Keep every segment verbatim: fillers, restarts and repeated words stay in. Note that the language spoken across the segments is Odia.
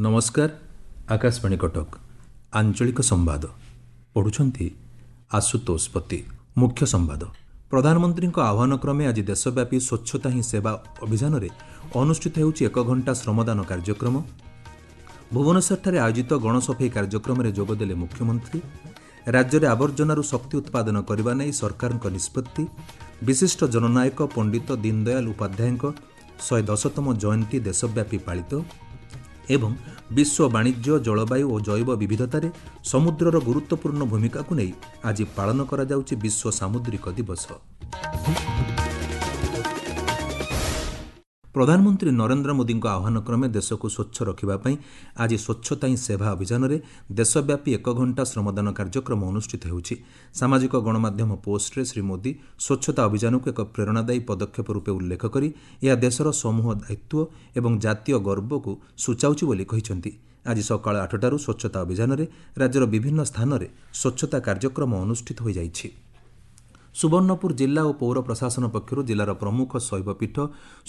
ନମସ୍କାର, ଆକାଶବାଣୀ କଟକ, ଆଞ୍ଚଳିକ ସମ୍ବାଦ ପଢ଼ୁଛନ୍ତି ଆଶୁତୋଷ ପତି। ମୁଖ୍ୟ ସମ୍ବାଦ। ପ୍ରଧାନମନ୍ତ୍ରୀଙ୍କ ଆହ୍ୱାନ କ୍ରମେ ଆଜି ଦେଶବ୍ୟାପୀ ସ୍ୱଚ୍ଛତା ହିଁ ସେବା ଅଭିଯାନରେ ଅନୁଷ୍ଠିତ ହେଉଛି ଏକ ଘଣ୍ଟା ଶ୍ରମଦାନ କାର୍ଯ୍ୟକ୍ରମ। ଭୁବନେଶ୍ୱରଠାରେ ଆୟୋଜିତ ଗଣସଫେଇ କାର୍ଯ୍ୟକ୍ରମରେ ଯୋଗଦେଲେ ମୁଖ୍ୟମନ୍ତ୍ରୀ। ରାଜ୍ୟରେ ଆବର୍ଜନାରୁ ଶକ୍ତି ଉତ୍ପାଦନ କରିବା ନେଇ ସରକାରଙ୍କ ନିଷ୍ପତ୍ତି। ବିଶିଷ୍ଟ ଜନନାୟକ ପଣ୍ଡିତ ଦୀନଦୟାଲ ଉପାଧ୍ୟାୟଙ୍କ ଶହେ ଦଶତମ ଜୟନ୍ତୀ ଦେଶବ୍ୟାପୀ ପାଳିତ। ଏବଂ ବିଶ୍ୱ ବାଣିଜ୍ୟ, ଜଳବାୟୁ ଓ ଜୈବ ବିବିଧତାରେ ସମୁଦ୍ରର ଗୁରୁତ୍ୱପୂର୍ଣ୍ଣ ଭୂମିକାକୁ ନେଇ ଆଜି ପାଳନ କରାଯାଉଛି ବିଶ୍ୱ ସାମୁଦ୍ରିକ ଦିବସ। ପ୍ରଧାନମନ୍ତ୍ରୀ ନରେନ୍ଦ୍ର ମୋଦିଙ୍କ ଆହ୍ୱାନ କ୍ରମେ ଦେଶକୁ ସ୍ୱଚ୍ଛ ରଖିବା ପାଇଁ ଆଜି ସ୍ୱଚ୍ଛତା ହିଁ ସେବା ଅଭିଯାନରେ ଦେଶବ୍ୟାପୀ ଏକ ଘଣ୍ଟା ଶ୍ରମଦାନ କାର୍ଯ୍ୟକ୍ରମ ଅନୁଷ୍ଠିତ ହେଉଛି। ସାମାଜିକ ଗଣମାଧ୍ୟମ ପୋଷ୍ଟରେ ଶ୍ରୀ ମୋଦି ସ୍ୱଚ୍ଛତା ଅଭିଯାନକୁ ଏକ ପ୍ରେରଣାଦାୟୀ ପଦକ୍ଷେପ ରୂପେ ଉଲ୍ଲେଖ କରି ଏହା ଦେଶର ସମୂହ ଦାୟିତ୍ୱ ଏବଂ ଜାତୀୟ ଗର୍ବକୁ ସୂଚାଉଛି ବୋଲି କହିଛନ୍ତି। ଆଜି ସକାଳ ଆଠଟାରୁ ସ୍ୱଚ୍ଛତା ଅଭିଯାନରେ ରାଜ୍ୟର ବିଭିନ୍ନ ସ୍ଥାନରେ ସ୍ୱଚ୍ଛତା କାର୍ଯ୍ୟକ୍ରମ ଅନୁଷ୍ଠିତ ହୋଇଯାଇଛି। ସୁବର୍ଣ୍ଣପୁର ଜିଲ୍ଲା ଓ ପୌର ପ୍ରଶାସନ ପକ୍ଷରୁ ଜିଲ୍ଲାର ପ୍ରମୁଖ ଶୈବପୀଠ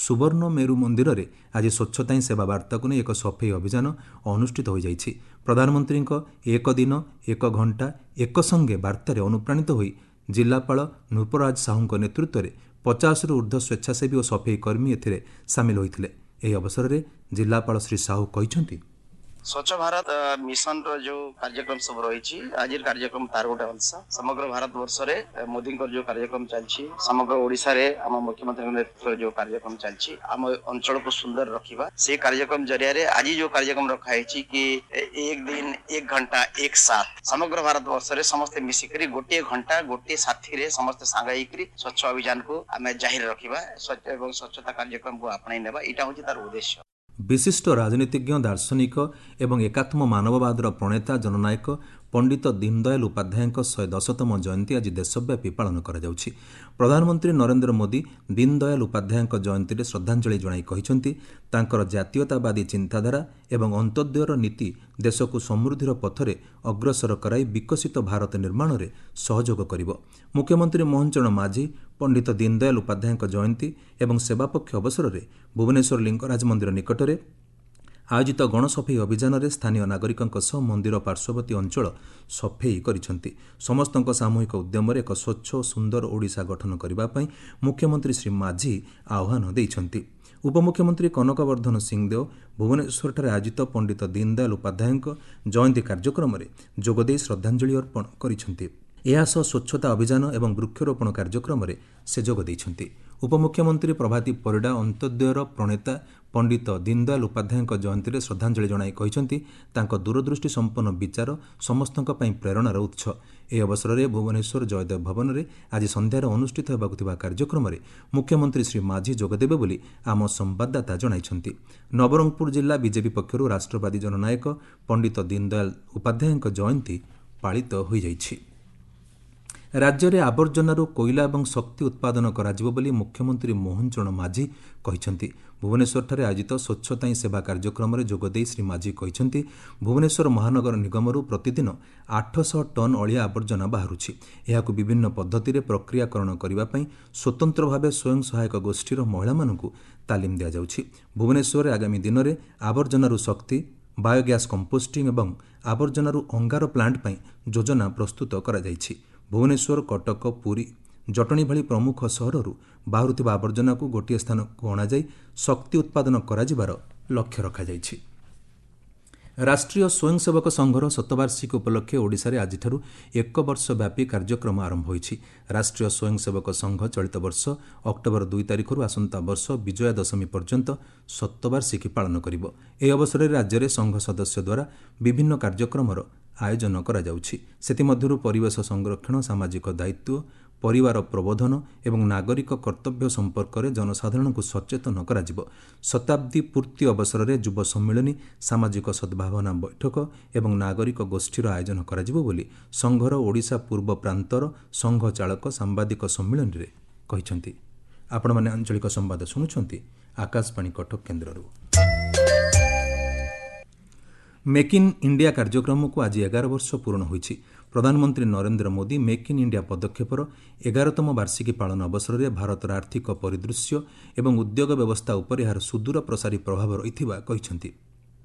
ସୁବର୍ଣ୍ଣ ମେରୁ ମନ୍ଦିରରେ ଆଜି ସ୍ୱଚ୍ଛତା ହିଁ ସେବା ବାର୍ତ୍ତାକୁ ନେଇ ଏକ ସଫେଇ ଅଭିଯାନ ଅନୁଷ୍ଠିତ ହୋଇଯାଇଛି। ପ୍ରଧାନମନ୍ତ୍ରୀଙ୍କ ଏକ ଦିନ ଏକ ଘଣ୍ଟା ଏକ ସଙ୍ଗେ ବାର୍ତ୍ତାରେ ଅନୁପ୍ରାଣିତ ହୋଇ ଜିଲ୍ଲାପାଳ ନୃପରାଜ ସାହୁଙ୍କ ନେତୃତ୍ୱରେ ପଚାଶରୁ ଉର୍ଦ୍ଧ୍ୱ ସ୍ୱେଚ୍ଛାସେବୀ ଓ ସଫେଇ କର୍ମୀ ଏଥିରେ ସାମିଲ ହୋଇଥିଲେ। ଏହି ଅବସରରେ ଜିଲ୍ଲାପାଳ ଶ୍ରୀ ସାହୁ କହିଛନ୍ତି, ସ୍ୱଚ୍ଛ ଭାରତ ମିଶନର ଯୋଉ କାର୍ଯ୍ୟକ୍ରମ ସବୁ ରହିଛି, ଆଜିର କାର୍ଯ୍ୟକ୍ରମ ତାର ଗୋଟେ ଅଂଶ। ସମଗ୍ର ଭାରତ ବର୍ଷରେ ମୋଦିଙ୍କର ଯୋଉ କାର୍ଯ୍ୟକ୍ରମ ଚାଲିଛି, ସମଗ୍ର ଓଡ଼ିଶାରେ ଆମ ମୁଖ୍ୟମନ୍ତ୍ରୀଙ୍କ ନେତୃତ୍ୱରେ ଯୋଉ କାର୍ଯ୍ୟକ୍ରମ ଚାଲିଛି, ଆମ ଅଞ୍ଚଳକୁ ସୁନ୍ଦର ରଖିବା, ସେ କାର୍ଯ୍ୟକ୍ରମ ଜରିଆରେ ଆଜି ଯୋଉ କାର୍ଯ୍ୟକ୍ରମ ରଖାହେଇଛି କି ଏକ ଦିନ ଏକ ଘଣ୍ଟା ଏକ ସାଥ, ସମଗ୍ର ଭାରତ ବର୍ଷରେ ସମସ୍ତେ ମିଶିକରି ଗୋଟିଏ ଘଣ୍ଟା ଗୋଟିଏ ସାଥିରେ ସମସ୍ତେ ସାଙ୍ଗ ହେଇକରି ସ୍ୱଚ୍ଛ ଅଭିଯାନକୁ ଆମେ ଜାହିର ରଖିବା ସ୍ୱଚ୍ଛ ଏବଂ ସ୍ୱଚ୍ଛତା କାର୍ଯ୍ୟକ୍ରମକୁ ଆପଣେଇ ନେବା, ଏଇଟା ହଉଛି ତାର ଉଦ୍ଦେଶ୍ୟ। ବିଶିଷ୍ଟ ରାଜନୀତିଜ୍ଞ, ଦାର୍ଶନିକ ଏବଂ ଏକାତ୍ମ ମାନବବାଦର ପ୍ରଣେତା ଜନନାୟକ ପଣ୍ଡିତ ଦୀନଦୟାଲ ଉପାଧ୍ୟାୟଙ୍କ ଶହେ ଦଶତମ ଜୟନ୍ତୀ ଆଜି ଦେଶବ୍ୟାପୀ ପାଳନ କରାଯାଉଛି। ପ୍ରଧାନମନ୍ତ୍ରୀ ନରେନ୍ଦ୍ର ମୋଦି ଦୀନଦୟାଲ ଉପାଧ୍ୟାୟଙ୍କ ଜୟନ୍ତୀରେ ଶ୍ରଦ୍ଧାଞ୍ଜଳି ଜଣାଇ କହିଛନ୍ତି, ତାଙ୍କର ଜାତୀୟତାବାଦୀ ଚିନ୍ତାଧାରା ଏବଂ ଅନ୍ତ୍ୟୋଦୟର ନୀତି ଦେଶକୁ ସମୃଦ୍ଧିର ପଥରେ ଅଗ୍ରସର କରାଇ ବିକଶିତ ଭାରତ ନିର୍ମାଣରେ ସହଯୋଗ କରିବ। ମୁଖ୍ୟମନ୍ତ୍ରୀ ମୋହନ ଚରଣ ମାଝୀ ପଣ୍ଡିତ ଦୀନଦୟାଲ ଉପାଧ୍ୟାୟଙ୍କ ଜୟନ୍ତୀ ଏବଂ ସେବାପକ୍ଷ ଅବସରରେ ଭୁବନେଶ୍ୱର ଲିଙ୍ଗରାଜ ମନ୍ଦିର ନିକଟରେ ଆୟୋଜିତ ଗଣସଫେଇ ଅଭିଯାନରେ ସ୍ଥାନୀୟ ନାଗରିକଙ୍କ ସହ ମନ୍ଦିର ପାର୍ଶ୍ୱବର୍ତ୍ତୀ ଅଞ୍ଚଳ ସଫେଇ କରିଛନ୍ତି। ସମସ୍ତଙ୍କ ସାମୂହିକ ଉଦ୍ୟମରେ ଏକ ସ୍ୱଚ୍ଛ ଓ ସୁନ୍ଦର ଓଡ଼ିଶା ଗଠନ କରିବା ପାଇଁ ମୁଖ୍ୟମନ୍ତ୍ରୀ ଶ୍ରୀ ମାଝୀ ଆହ୍ୱାନ ଦେଇଛନ୍ତି। ଉପମୁଖ୍ୟମନ୍ତ୍ରୀ କନକବର୍ଦ୍ଧନ ସିଂଦେଓ ଭୁବନେଶ୍ୱରଠାରେ ଆୟୋଜିତ ପଣ୍ଡିତ ଦୀନଦୟାଲ ଉପାଧ୍ୟାୟଙ୍କ ଜୟନ୍ତୀ କାର୍ଯ୍ୟକ୍ରମରେ ଯୋଗଦେଇ ଶ୍ରଦ୍ଧାଞ୍ଜଳି ଅର୍ପଣ କରିଛନ୍ତି। ଏହାସହ ସ୍ୱଚ୍ଛତା ଅଭିଯାନ ଏବଂ ବୃକ୍ଷରୋପଣ କାର୍ଯ୍ୟକ୍ରମରେ ସେ ଯୋଗ ଦେଇଛନ୍ତି। ଉପମୁଖ୍ୟମନ୍ତ୍ରୀ ପ୍ରଭାତୀ ପରିଡ଼ା ଅନ୍ତ୍ୟୋଦୟର ପ୍ରଣେତା ପଣ୍ଡିତ ଦୀନଦୟାଲ ଉପାଧ୍ୟାୟଙ୍କ ଜୟନ୍ତୀରେ ଶ୍ରଦ୍ଧାଞ୍ଜଳି ଜଣାଇ କହିଛନ୍ତି, ତାଙ୍କ ଦୂରଦୃଷ୍ଟି ସମ୍ପନ୍ନ ବିଚାର ସମସ୍ତଙ୍କ ପାଇଁ ପ୍ରେରଣାର ଉତ୍ସ। ଏହି ଅବସରରେ ଭୁବନେଶ୍ୱର ଜୟଦେବ ଭବନରେ ଆଜି ସନ୍ଧ୍ୟାରେ ଅନୁଷ୍ଠିତ ହେବାକୁ ଥିବା କାର୍ଯ୍ୟକ୍ରମରେ ମୁଖ୍ୟମନ୍ତ୍ରୀ ଶ୍ରୀ ମାଝୀ ଯୋଗଦେବେ ବୋଲି ଆମ ସମ୍ବାଦଦାତା ଜଣାଇଛନ୍ତି। ନବରଙ୍ଗପୁର ଜିଲ୍ଲା ବିଜେପି ପକ୍ଷରୁ ରାଷ୍ଟ୍ରବାଦୀ ଜନନାୟକ ପଣ୍ଡିତ ଦୀନଦୟାଲ ଉପାଧ୍ୟାୟଙ୍କ ଜୟନ୍ତୀ ପାଳିତ ହୋଇଯାଇଛି। ରାଜ୍ୟରେ ଆବର୍ଜନାରୁ କୋଇଲା ଏବଂ ଶକ୍ତି ଉତ୍ପାଦନ କରାଯିବ ବୋଲି ମୁଖ୍ୟମନ୍ତ୍ରୀ ମୋହନ ଚରଣ ମାଝୀ କହିଛନ୍ତି। ଭୁବନେଶ୍ୱରଠାରେ ଆୟୋଜିତ ସ୍ୱଚ୍ଛତା ହିଁ ସେବା କାର୍ଯ୍ୟକ୍ରମରେ ଯୋଗଦେଇ ଶ୍ରୀ ମାଝୀ କହିଛନ୍ତି, ଭୁବନେଶ୍ୱର ମହାନଗର ନିଗମରୁ ପ୍ରତିଦିନ ଆଠଶହ ଟନ୍ ଅଳିଆ ଆବର୍ଜନା ବାହାରୁଛି। ଏହାକୁ ବିଭିନ୍ନ ପଦ୍ଧତିରେ ପ୍ରକ୍ରିୟାକରଣ କରିବା ପାଇଁ ସ୍ୱତନ୍ତ୍ର ଭାବେ ସ୍ୱୟଂ ସହାୟକ ଗୋଷ୍ଠୀର ମହିଳାମାନଙ୍କୁ ତାଲିମ ଦିଆଯାଉଛି। ଭୁବନେଶ୍ୱରରେ ଆଗାମୀ ଦିନରେ ଆବର୍ଜନାରୁ ଶକ୍ତି, ବାୟୋଗ୍ୟାସ୍ କମ୍ପୋଷ୍ଟିଂ ଏବଂ ଆବର୍ଜନାରୁ ଅଙ୍ଗାର ପ୍ଲାଣ୍ଟ ପାଇଁ ଯୋଜନା ପ୍ରସ୍ତୁତ କରାଯାଇଛି। ଭୁବନେଶ୍ୱର, କଟକ, ପୁରୀ, ଜଟଣୀ ଭଳି ପ୍ରମୁଖ ସହରରୁ ବାହାରୁଥିବା ଆବର୍ଜନାକୁ ଗୋଟିଏ ସ୍ଥାନକୁ ଅଣାଯାଇ ଶକ୍ତି ଉତ୍ପାଦନ କରାଯିବାର ଲକ୍ଷ୍ୟ ରଖାଯାଇଛି। ରାଷ୍ଟ୍ରୀୟ ସ୍ୱୟଂସେବକ ସଂଘର ଶତବାର୍ଷିକୀ ଉପଲକ୍ଷେ ଓଡ଼ିଶାରେ ଆଜିଠାରୁ ଏକ ବର୍ଷ ବ୍ୟାପୀ କାର୍ଯ୍ୟକ୍ରମ ଆରମ୍ଭ ହୋଇଛି। ରାଷ୍ଟ୍ରୀୟ ସ୍ୱୟଂସେବକ ସଂଘ ଚଳିତ ବର୍ଷ ଅକ୍ଟୋବର ଦୁଇ ତାରିଖରୁ ଆସନ୍ତା ବର୍ଷ ବିଜୟା ଦଶମୀ ପର୍ଯ୍ୟନ୍ତ ଶତବାର୍ଷିକୀ ପାଳନ କରିବ। ଏହି ଅବସରରେ ରାଜ୍ୟରେ ସଂଘ ସଦସ୍ୟ ଦ୍ୱାରା ବିଭିନ୍ନ କାର୍ଯ୍ୟକ୍ରମର ଆୟୋଜନ କରାଯାଉଛି। ସେଥିମଧ୍ୟରୁ ପରିବେଶ ସଂରକ୍ଷଣ, ସାମାଜିକ ଦାୟିତ୍ୱ, ପରିବାର ପ୍ରବୋଧନ ଏବଂ ନାଗରିକ କର୍ତ୍ତବ୍ୟ ସମ୍ପର୍କରେ ଜନସାଧାରଣଙ୍କୁ ସଚେତନ କରାଯିବ। ଶତାବ୍ଦୀ ପୂର୍ତ୍ତି ଅବସରରେ ଯୁବ ସମ୍ମିଳନୀ, ସାମାଜିକ ସଦ୍ଭାବନା ବୈଠକ ଏବଂ ନାଗରିକ ଗୋଷ୍ଠୀର ଆୟୋଜନ କରାଯିବ ବୋଲି ସଂଘର ଓଡ଼ିଶା ପୂର୍ବ ପ୍ରାନ୍ତର ସଂଘ ଚାଳକ ସାମ୍ବାଦିକ ସମ୍ମିଳନୀରେ କହିଛନ୍ତି। ଆପଣମାନେ ଆଞ୍ଚଳିକ ସମ୍ବାଦ ଶୁଣୁଛନ୍ତି ଆକାଶବାଣୀ କଟକ କେନ୍ଦ୍ରରୁ। ମେକ୍ ଇନ୍ ଇଣ୍ଡିଆ କାର୍ଯ୍ୟକ୍ରମକୁ ଆଜି ଏଗାର ବର୍ଷ ପୂରଣ ହୋଇଛି। ପ୍ରଧାନମନ୍ତ୍ରୀ Narendra Modi make in India ପଦକ୍ଷେପର ଏଗାରତମ ବାର୍ଷିକୀ ପାଳନ ଅବସରରେ ଭାରତର ଆର୍ଥିକ ପରିଦୃଶ୍ୟ ଏବଂ ଉଦ୍ୟୋଗ ବ୍ୟବସ୍ଥା ଉପରେ ଏହାର ସୁଦୂର ପ୍ରସାରୀ ପ୍ରଭାବ ରହିଥିବା କହିଛନ୍ତି।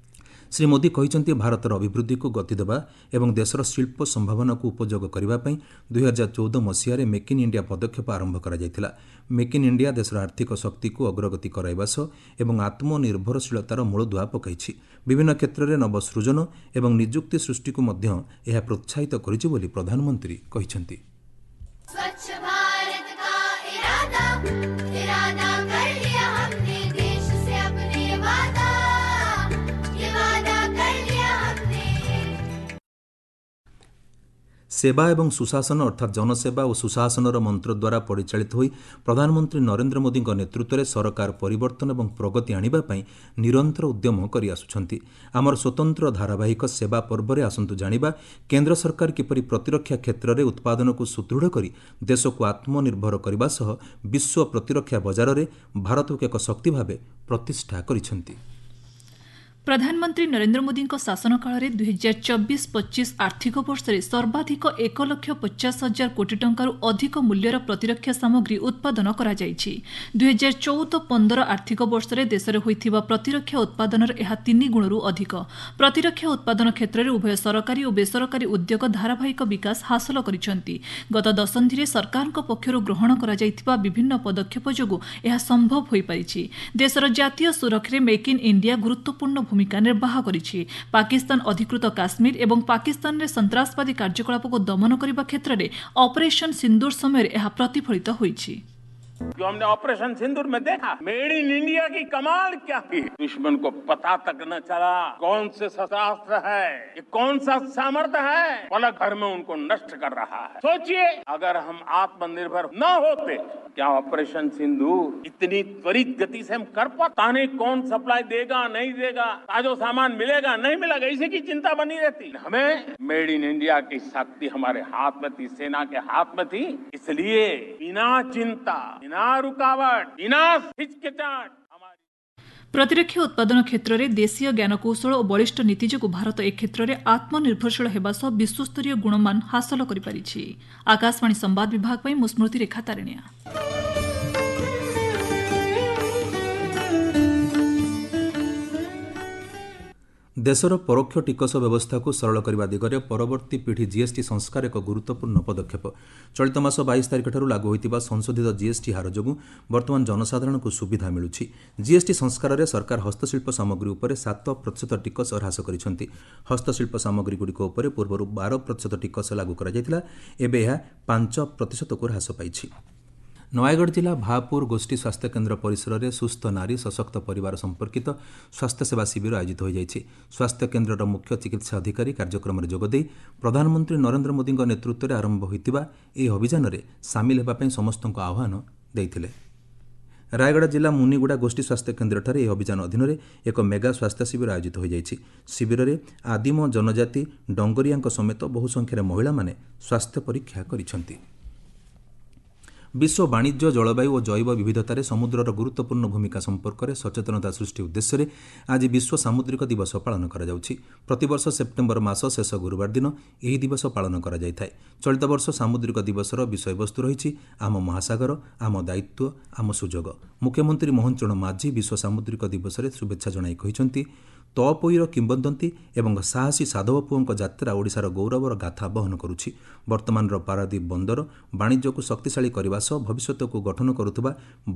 ଶ୍ରୀ ମୋଦି କହିଛନ୍ତି, ଭାରତର ଅଭିବୃଦ୍ଧିକୁ ଗତି ଦେବା ଏବଂ ଦେଶର ଶିଳ୍ପ ସମ୍ଭାବନାକୁ ଉପଯୋଗ କରିବା ପାଇଁ ଦୁଇହଜାର ଚଉଦ ମସିହାରେ ମେକ୍ ଇନ୍ ଇଣ୍ଡିଆ ପଦକ୍ଷେପ ଆରମ୍ଭ କରାଯାଇଥିଲା। ମେକ୍ ଇନ୍ ଇଣ୍ଡିଆ ଦେଶର ଆର୍ଥିକ ଶକ୍ତିକୁ ଅଗ୍ରଗତି କରାଇବା ସହ ଏବଂ ଆତ୍ମନିର୍ଭରଶୀଳତାର ମୂଳଦୁଆ ପକାଇଛି। ବିଭିନ୍ନ କ୍ଷେତ୍ରରେ ନବସୃଜନ ଏବଂ ନିଯୁକ୍ତି ସୃଷ୍ଟିକୁ ମଧ୍ୟ ଏହା ପ୍ରୋତ୍ସାହିତ କରିଛି ବୋଲି ପ୍ରଧାନମନ୍ତ୍ରୀ କହିଛନ୍ତି। स्वच्छ भारत का इरादा इरादा कर लिया हमने, देश से अपने वादा, ये वादा कर लिया हमने। ସେବା ଏବଂ ସୁଶାସନ ଅର୍ଥାତ୍ ଜନସେବା ଓ ସୁଶାସନର ମନ୍ତ୍ର ଦ୍ୱାରା ପରିଚାଳିତ ହୋଇ ପ୍ରଧାନମନ୍ତ୍ରୀ ନରେନ୍ଦ୍ର ମୋଦିଙ୍କ ନେତୃତ୍ୱରେ ସରକାର ପରିବର୍ତ୍ତନ ଏବଂ ପ୍ରଗତି ଆଣିବା ପାଇଁ ନିରନ୍ତର ଉଦ୍ୟମ କରିଆସୁଛନ୍ତି। ଆମର ସ୍ୱତନ୍ତ୍ର ଧାରାବାହିକ ସେବା ପର୍ବରେ ଆସନ୍ତୁ ଜାଣିବା କେନ୍ଦ୍ର ସରକାର କିପରି ପ୍ରତିରକ୍ଷା କ୍ଷେତ୍ରରେ ଉତ୍ପାଦନକୁ ସୁଦୃଢ଼ କରି ଦେଶକୁ ଆତ୍ମନିର୍ଭର କରିବା ସହ ବିଶ୍ୱ ପ୍ରତିରକ୍ଷା ବଜାରରେ ଭାରତକୁ ଏକ ଶକ୍ତି ଭାବେ ପ୍ରତିଷ୍ଠା କରିଛନ୍ତି। ପ୍ରଧାନମନ୍ତ୍ରୀ ନରେନ୍ଦ୍ର ମୋଦିଙ୍କ ଶାସନ କାଳରେ ଦୁଇହଜାର ଚବିଶ ପଚିଶ ଆର୍ଥିକ ବର୍ଷରେ ସର୍ବାଧିକ ଏକ ଲକ୍ଷ ପଚାଶ ହଜାର କୋଟି ଟଙ୍କାରୁ ଅଧିକ ମୂଲ୍ୟର ପ୍ରତିରକ୍ଷା ସାମଗ୍ରୀ ଉତ୍ପାଦନ କରାଯାଇଛି। ଦୁଇହଜାର ଚଉଦ ପନ୍ଦର ଆର୍ଥିକ ବର୍ଷରେ ଦେଶରେ ହୋଇଥିବା ପ୍ରତିରକ୍ଷା ଉତ୍ପାଦନର ଏହା ତିନି ଗୁଣରୁ ଅଧିକ। ପ୍ରତିରକ୍ଷା ଉତ୍ପାଦନ କ୍ଷେତ୍ରରେ ଉଭୟ ସରକାରୀ ଓ ବେସରକାରୀ ଉଦ୍ୟୋଗ ଧାରାବାହିକ ବିକାଶ ହାସଲ କରିଛନ୍ତି। ଗତ ଦଶନ୍ଧିରେ ସରକାରଙ୍କ ପକ୍ଷରୁ ଗ୍ରହଣ କରାଯାଇଥିବା ବିଭିନ୍ନ ପଦକ୍ଷେପ ଯୋଗୁଁ ଏହା ସମ୍ଭବ ହୋଇପାରିଛି। ଦେଶର ଜାତୀୟ ସୁରକ୍ଷାରେ ମେକ୍ ଇନ୍ ଇଣ୍ଡିଆ ଗୁରୁତ୍ୱପୂର୍ଣ୍ଣ ଭୂମିକା ନିର୍ବାହ କରିଛି। ପାକିସ୍ତାନ ଅଧିକୃତ କାଶ୍ମୀର ଏବଂ ପାକିସ୍ତାନରେ ସନ୍ତ୍ରାସବାଦୀ କାର୍ଯ୍ୟକଳାପକୁ ଦମନ କରିବା କ୍ଷେତ୍ରରେ ଅପରେସନ ସିନ୍ଦୁର ସମୟରେ ଏହା ପ୍ରତିଫଳିତ ହୋଇଛି। जो हमने ऑपरेशन सिंदूर में देखा, मेड इन इंडिया की कमाल क्या थी, दुश्मन को पता तक न चला कौन से शस्त्रास्त्र है, ये कौन सा सामर्थ्य है, पलक भर में उनको नष्ट कर रहा है। सोचिए, अगर हम आत्मनिर्भर न होते, क्या ऑपरेशन सिंदूर इतनी त्वरित गति से हम कर पाता? नहीं, कौन सप्लाई देगा, नहीं देगा, ताजो सामान मिलेगा, नहीं मिलेगा, इसी की चिंता बनी रहती। हमें मेड इन इंडिया की शक्ति हमारे हाथ में थी, सेना के हाथ में थी, इसलिए बिना चिंता, बिना रुकावट, बिना हिचकिचाहट हमारी ପ୍ରତିରକ୍ଷା ଉତ୍ପାଦନ କ୍ଷେତ୍ରରେ ଦେଶୀୟ ଜ୍ଞାନକୌଶଳ ଓ ବଳିଷ୍ଠ ନୀତି ଯୋଗୁଁ ଭାରତ ଏ କ୍ଷେତ୍ରରେ ଆତ୍ମନିର୍ଭରଶୀଳ ହେବା ସହ ବିଶ୍ୱସ୍ତରୀୟ ଗୁଣମାନ ହାସଲ କରିପାରିଛି। ଆକାଶବାଣୀ ସମ୍ବାଦ ବିଭାଗ ପାଇଁ ମୁଁ ସ୍ମୃତିରେଖା ତାରିଣିଆ। ଦେଶର ପରୋକ୍ଷ ଟିକସ ବ୍ୟବସ୍ଥାକୁ ସରଳ କରିବା ଦିଗରେ ପରବର୍ତ୍ତୀ ପିଢ଼ି ଜିଏସ୍ଟି ସଂସ୍କାର ଏକ ଗୁରୁତ୍ୱପୂର୍ଣ୍ଣ ପଦକ୍ଷେପ। ଚଳିତ ମାସ ବାଇଶ ତାରିଖଠାରୁ ଲାଗୁ ହୋଇଥିବା ସଂଶୋଧିତ ଜିଏସ୍ଟି ହାର ଯୋଗୁଁ ବର୍ତ୍ତମାନ ଜନସାଧାରଣଙ୍କୁ ସୁବିଧା ମିଳୁଛି। ଜିଏସ୍ଟି ସଂସ୍କାରରେ ସରକାର ହସ୍ତଶିଳ୍ପ ସାମଗ୍ରୀ ଉପରେ ସାତ ପ୍ରତିଶତ ଟିକସ ହ୍ରାସ କରିଛନ୍ତି। ହସ୍ତଶିଳ୍ପ ସାମଗ୍ରୀଗୁଡ଼ିକ ଉପରେ ପୂର୍ବରୁ ବାର ପ୍ରତିଶତ ଟିକସ ଲାଗୁ କରାଯାଇଥିଲା, ଏବେ ଏହା ପାଞ୍ଚ ପ୍ରତିଶତକୁ ହ୍ରାସ ପାଇଛି। ନୟାଗଡ଼ ଜିଲ୍ଲା ଭାପୁର ଗୋଷ୍ଠୀ ସ୍ୱାସ୍ଥ୍ୟକେନ୍ଦ୍ର ପରିସରରେ ସୁସ୍ଥ ନାରୀ ସଶକ୍ତ ପରିବାର ସମ୍ପର୍କିତ ସ୍ୱାସ୍ଥ୍ୟସେବା ଶିବିର ଆୟୋଜିତ ହୋଇଯାଇଛି। ସ୍ୱାସ୍ଥ୍ୟକେନ୍ଦ୍ରର ମୁଖ୍ୟ ଚିକିତ୍ସା ଅଧିକାରୀ କାର୍ଯ୍ୟକ୍ରମରେ ଯୋଗଦେଇ ପ୍ରଧାନମନ୍ତ୍ରୀ ନରେନ୍ଦ୍ର ମୋଦିଙ୍କ ନେତୃତ୍ୱରେ ଆରମ୍ଭ ହୋଇଥିବା ଏହି ଅଭିଯାନରେ ସାମିଲ ହେବା ପାଇଁ ସମସ୍ତଙ୍କୁ ଆହ୍ୱାନ ଦେଇଥିଲେ। ରାୟଗଡ଼ା ଜିଲ୍ଲା ମୁନିଗୁଡ଼ା ଗୋଷ୍ଠୀ ସ୍ୱାସ୍ଥ୍ୟ କେନ୍ଦ୍ରଠାରେ ଏହି ଅଭିଯାନ ଅଧୀନରେ ଏକ ମେଗା ସ୍ୱାସ୍ଥ୍ୟ ଶିବିର ଆୟୋଜିତ ହୋଇଯାଇଛି। ଶିବିରରେ ଆଦିମ ଜନଜାତି ଡଙ୍ଗରିଆଙ୍କ ସମେତ ବହୁ ସଂଖ୍ୟାରେ ମହିଳାମାନେ ସ୍ୱାସ୍ଥ୍ୟ ପରୀକ୍ଷା କରିଛନ୍ତି। ବିଶ୍ୱ ବାଣିଜ୍ୟ, ଜଳବାୟୁ ଓ ଜୈବ ବିବିଧତାରେ ସମୁଦ୍ରର ଗୁରୁତ୍ୱପୂର୍ଣ୍ଣ ଭୂମିକା ସମ୍ପର୍କରେ ସଚେତନତା ସୃଷ୍ଟି ଉଦ୍ଦେଶ୍ୟରେ ଆଜି ବିଶ୍ୱ ସାମୁଦ୍ରିକ ଦିବସ ପାଳନ କରାଯାଉଛି। ପ୍ରତିବର୍ଷ ସେପ୍ଟେମ୍ବର ମାସ ଶେଷ ଗୁରୁବାର ଦିନ ଏହି ଦିବସ ପାଳନ କରାଯାଇଥାଏ। ଚଳିତ ବର୍ଷ ସାମୁଦ୍ରିକ ଦିବସର ବିଷୟବସ୍ତୁ ରହିଛି ଆମ ମହାସାଗର, ଆମ ଦାୟିତ୍ୱ, ଆମ ସୁଯୋଗ। ମୁଖ୍ୟମନ୍ତ୍ରୀ ମୋହନ ଚରଣ ମାଝୀ ବିଶ୍ୱ ସାମୁଦ୍ରିକ ଦିବସରେ ଶୁଭେଚ୍ଛା ଜଣାଇ କହିଛନ୍ତି, ତପୋଇର କିମ୍ବଦନ୍ତୀ ଏବଂ ସାହସୀ ସାଧବ ପୁଅଙ୍କ ଯାତ୍ରା ଓଡ଼ିଶାର ଗୌରବର ଗାଥା ବହନ କରୁଛି। ବର୍ତ୍ତମାନର ପାରାଦୀପ ବନ୍ଦର ବାଣିଜ୍ୟକୁ ଶକ୍ତିଶାଳୀ କରିବା ସହ ଭବିଷ୍ୟତକୁ ଗଠନ କରୁଥିବା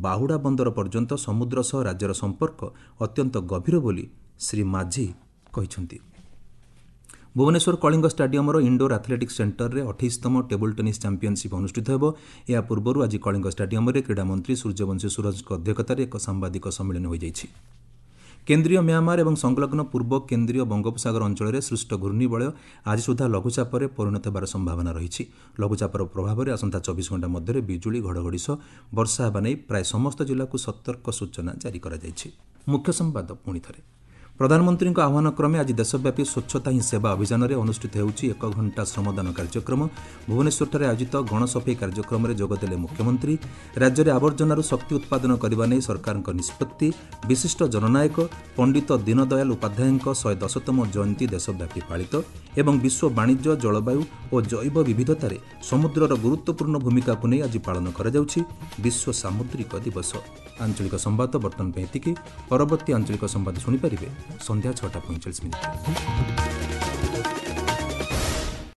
ବାହୁଡ଼ା ବନ୍ଦର ପର୍ଯ୍ୟନ୍ତ ସମୁଦ୍ର ସହ ରାଜ୍ୟର ସମ୍ପର୍କ ଅତ୍ୟନ୍ତ ଗଭୀର ବୋଲି ଶ୍ରୀ ମାଝୀ କହିଛନ୍ତି। ଭୁବନେଶ୍ୱର କଳିଙ୍ଗ ଷ୍ଟାଡିୟମର ଇଣ୍ଡୋର ଆଥଲେଟିକ୍ସ ସେଣ୍ଟରରେ ଅଠେଇଶତମ ଟେବୁଲ୍ ଟେନିସ୍ ଚାମ୍ପିୟନସିପ୍ ଅନୁଷ୍ଠିତ ହେବ। ଏହା ପୂର୍ବରୁ ଆଜି କଳିଙ୍ଗ ଷ୍ଟାଡିୟମରେ କ୍ରୀଡ଼ାମନ୍ତ୍ରୀ ସୂର୍ଯ୍ୟବଂଶୀ ସୂରଜଙ୍କ ଅଧ୍ୟକ୍ଷତାରେ ଏକ ସାମ୍ବାଦିକ ସମ୍ମିଳନୀ ହୋଇଯାଇଛି। କେନ୍ଦ୍ରୀୟ ମ୍ୟାମାର ଏବଂ ସଂଲଗ୍ନ ପୂର୍ବ କେନ୍ଦ୍ରୀୟ ବଙ୍ଗୋପସାଗର ଅଞ୍ଚଳରେ ସୃଷ୍ଟ ଘୂର୍ଣ୍ଣିବଳୟ ଆଜି ସୁଦ୍ଧା ଲଘୁଚାପରେ ପରିଣତ ହେବାର ସମ୍ଭାବନା ରହିଛି। ଲଘୁଚାପର ପ୍ରଭାବରେ ଆସନ୍ତା ଚବିଶ ଘଣ୍ଟା ମଧ୍ୟରେ ବିଜୁଳି, ଘଡ଼ଘଡ଼ି ସହ ବର୍ଷା ହେବା ନେଇ ପ୍ରାୟ ସମସ୍ତ ଜିଲ୍ଲାକୁ ସତର୍କ ସୂଚନା ଜାରି କରାଯାଇଛି। ମୁଖ୍ୟ ସମ୍ବାଦ ପୁଣି ଥରେ। ପ୍ରଧାନମନ୍ତ୍ରୀଙ୍କ ଆହ୍ୱାନ କ୍ରମେ ଆଜି ଦେଶବ୍ୟାପୀ ସ୍ୱଚ୍ଛତା ହିଁ ସେବା ଅଭିଯାନରେ ଅନୁଷ୍ଠିତ ହେଉଛି ଏକ ଘଣ୍ଟା ଶ୍ରମଦାନ କାର୍ଯ୍ୟକ୍ରମ। ଭୁବନେଶ୍ୱରଠାରେ ଆୟୋଜିତ ଗଣସଫେଇ କାର୍ଯ୍ୟକ୍ରମରେ ଯୋଗଦେଲେ ମୁଖ୍ୟମନ୍ତ୍ରୀ। ରାଜ୍ୟରେ ଆବର୍ଜନାରୁ ଶକ୍ତି ଉତ୍ପାଦନ କରିବା ନେଇ ସରକାରଙ୍କ ନିଷ୍ପତ୍ତି। ବିଶିଷ୍ଟ ଜନନାୟକ ପଣ୍ଡିତ ଦୀନଦୟାଲ ଉପାଧ୍ୟାୟଙ୍କ ଶହେ ଦଶତମ ଜୟନ୍ତୀ ଦେଶବ୍ୟାପୀ ପାଳିତ। ଏବଂ ବିଶ୍ୱ ବାଣିଜ୍ୟ, ଜଳବାୟୁ ଓ ଜୈବ ବିବିଧତାରେ ସମୁଦ୍ରର ଗୁରୁତ୍ୱପୂର୍ଣ୍ଣ ଭୂମିକାକୁ ନେଇ ଆଜି ପାଳନ କରାଯାଉଛି ବିଶ୍ୱ ସାମୁଦ୍ରିକ ଦିବସ। ଆଞ୍ଚଳିକ ସମ୍ବାଦ ବର୍ତ୍ତମାନ ପାଇଁ ଏତିକି। ପରବର୍ତ୍ତୀ ଆଞ୍ଚଳିକ ସମ୍ବାଦ ଶୁଣିପାରିବେ ସନ୍ଧ୍ୟା ଛଅଟା ପଇଁଚାଳିଶ ମିନିଟ୍।